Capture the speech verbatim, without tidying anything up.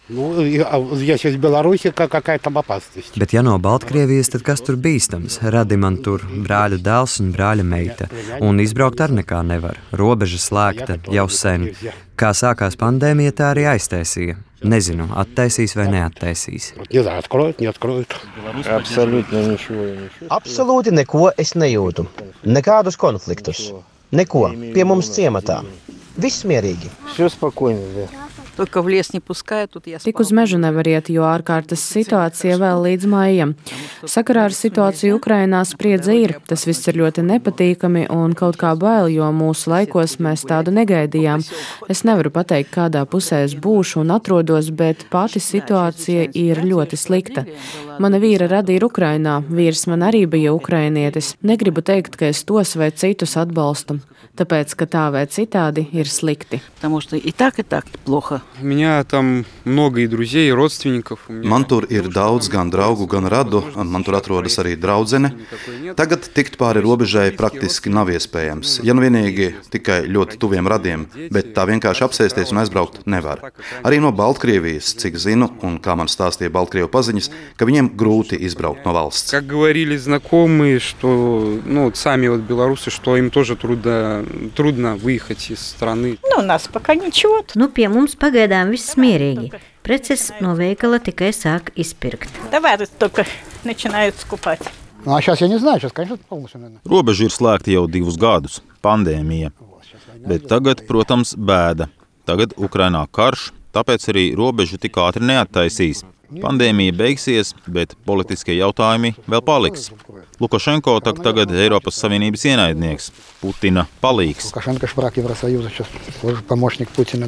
Nu, если из Беларуси, какая там опасность? Bet ja no Baltkrievijas, tad kas tur bīstams? Radi man tur brāļu dēls un brāļa meita. Un izbraukt ar nekā nevar. Robeža slēgta jau sen. Kā sākās pandēmija, tā arī aiztaisīja. Nezinu, attaisīs vai neattaisīs. Не знаю, откроют, не откроют. Absolūti nečo. Absolūti neko es nejūtu. Nekādus konfliktus. Neko. Pie mums ciematā. Viss mierīgi. Все спокойно, да. Только в лес не пускают, тут я Tik uz mežu nevar iet, jo ārkārtas situācija vēl līdz maijam. Sakarā ar situāciju Ukrainā spriedze ir. Tas viss ir ļoti nepatīkami un kaut kā bail, jo mūsu laikos mēs tādu negaidījām. Es nevaru pateikt, kādā pusē es būšu un atrodos, bet pati situācija ir ļoti slikta. Mana vīra rada ir Ukrainā, vīrs man arī bija ukrainietis. Negribu teikt, ka es tos vai citus atbalstu, tāpēc, ka tā vai citādi ir slikti. Потому что и так, и так плохо. У меня там много и друзей, и родственников. Man tur ir daudz gan draugu, gan radu, un man tur atrodas arī draudzene. Tagad tikt pāri robežai praktiski nav iespējams, ja nu vienīgi tikai ļoti tuviem radiem, bet tā vienkārši apsēsties un aizbraukt nevar. Arī no Baltkrievijas, cik zinu, un kā man stāstīja Baltkrievu paziņas, ka viņiem grūti izbraukt no valsts. Как говорили знакомые, что, ну, сами вот белорусы, что им тоже трудно, трудно выехать из страны. Nu, у нас пока nичего. Nu, pie mums pagaidām viss mierīgi. Preces no veikala tikai sāk izpirkt. Товары только начинают скупать. Ну, а сейчас я не знаю, сейчас, конечно, полностью, наверное. Robeža ir slēgta jau divus gadus - pandēmija. Bet tagad, protams, bēda. Tagad Ukrainā karš, tāpēc arī robežu tik ātri neattaisīs. Pandēmija beigsies, bet politiskie jautājumi vēl paliks. Lukašenko tak tagad Eiropas Savienības ienaidnieks, Putina palīgs. Лукашенко ж враг Евросоюза, сейчас помощник Путина.